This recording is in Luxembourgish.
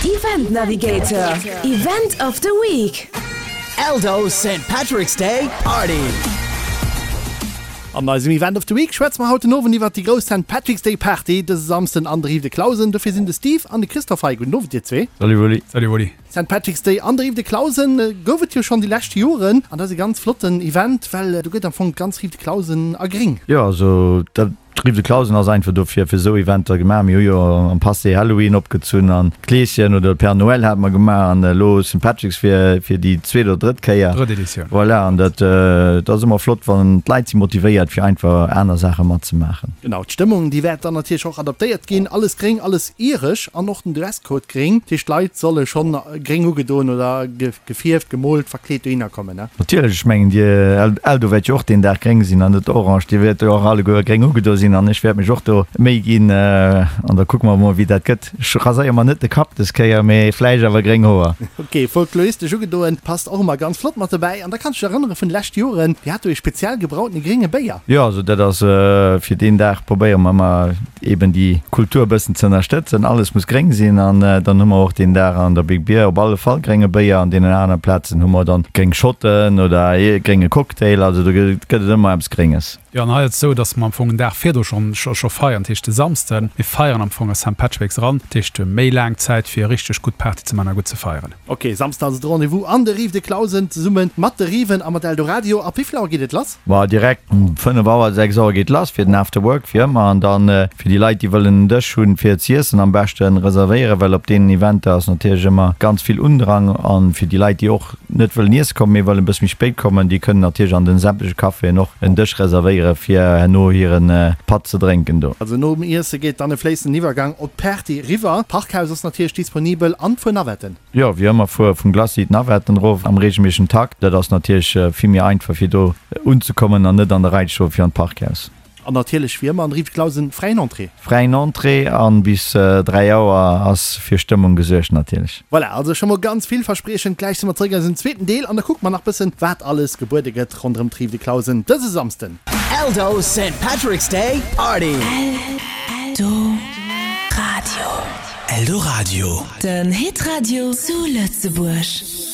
Event Navigator, Event of the Week. Eldo Saint Patrick's Day Party. An eisem Event of the Week schwätze mer haut den Owend iwwert déi grouss Saint Patrick's Day Party dëse Samsden an der Rive de Clausen. Dofir sinn de Steve an de Christophe hei. Gudden Owend dir zwee. Salut Wally. Salut Wally. Saint Patrick's Day an der Rive de Clausen gouf et jo schonn déi lescht Joren an dat ass e ganz flotten Event, well do gëtt am Fong d'ganz Rive de Clausen a gréng. Jo, also dat D'Rive de Clausen ass einfach dofir fir esou Eventer gemaach. Mir hu jo am Passé Halloween opgezunn an Kleeschen oder Père Noël hate mer gemaach an elo Saint Patrick's fir fir déi zweet oder drëtt Kéier. Drëtt Editioun. Voilà, an dat dat ass ëmmer flott, wann d'Leit si motivéiert fir einfach aner Saache matzemaachen. Genau, d'Stëmmung déi wäert dann natierlech och adaptéiert ginn. Alles gréng, alles iresch an och den Dresscode gréng. Dat heescht d'Leit solle schonn gréng ugedoen oder gefierft, gemoolt, verkleet dohinner kommen, ne? Natierlech, ech mengen dir Eldo wäert jo och deen Dag gréng sinn an net orange. Dir wäert jo och alleguer gréng ugedo sinn an ech wäert mech och do Méi ginn an da kucke mer mol wéi dat gëtt. Ech raséiere mer net de Kapp des Kéier, mee vläicht awer gréng Hoer. Ok, folkloristesch ugedoen, passt och ëmmer ganz flott mat dobäi. An da kanns du dech erënnere vun de leschte Joren, dir hat do ee speziell gebrautene grénge Béier. Jo, also dat ass fir deen Dag probéiere mer ëmmer eben déi Kultur e bëssen ze ënnerstëtzen. Alles muss gréng sinn an dann hu mer och deen Dag an der Big Beer op alle Fall grénge Béier. An deenen anere Plazen hu mer dann gréng Schotten oder ee grénge Cocktail. Also do gëtt et ëmmer eppes Grénges. Jo, an hei ass et esou, dass mer am Fong en Dag virdru schonn scho feiern, dat heescht de Samsden. Mir feiern am Fong a Saint Patrick's eran, dat heescht méi laang Zäit fir richteg gutt Party ze man a gutt ze feieren. Ok, Samsden also de Rendez-vous an de Rives de Clausen zesumme mat de Riven a mat Eldoradio. Ab wéivill Auer geet et lass? Ma direkt um 5 Auer, 6 Auer geet lass fir den After Work wéi ëmmer. An dann fir déi Leit déi wëllen en Dësch hunn fir z'iessen am beschten reservéieren, well op deenen Eventer ass natierlech ëmmer ganz vill Undrang. An fir déi Leit déi och net wëllen iesse kommen, mee wëllen e bësse méi spéit kommen, déi kënnen natierlech an den sämtleche Caféen och en Dësch reservéieren fir herno hiren Patt ze drénken do. Also nom Iesse geet dann e fléissenden Iwwergang op d'Party eriwwer. D'Parkhaus ass natierlech disponibel an d'Fuer Navetten. Jo, wéi ëmmer fuere vum Glacis d'Navetten erof am regelméissegen Takt. Dat ass natierlech vill méi einfach fir do unzekommen an net an der Rei ze stoen fir an d'Parkhaus. An natierlech wéi ëmmer an der Rive Clausen fräien Entrée. Fräien Entrée an bis 3 Auer ass fir Stëmmung gesuergt natierlech. Voilà, also scho mol ganz villverspriechend. Gläich si mer zeréck an eisem zweeten Deel an da kucke mer nach bëssen wat alles gebuede gëtt ronderëm d'Rive de Clausen dëse Samsden. Eldo Saint Patrick's Day Party. Eldoradio. Eldoradio. Den Hitradio zu Lëtzebuerg.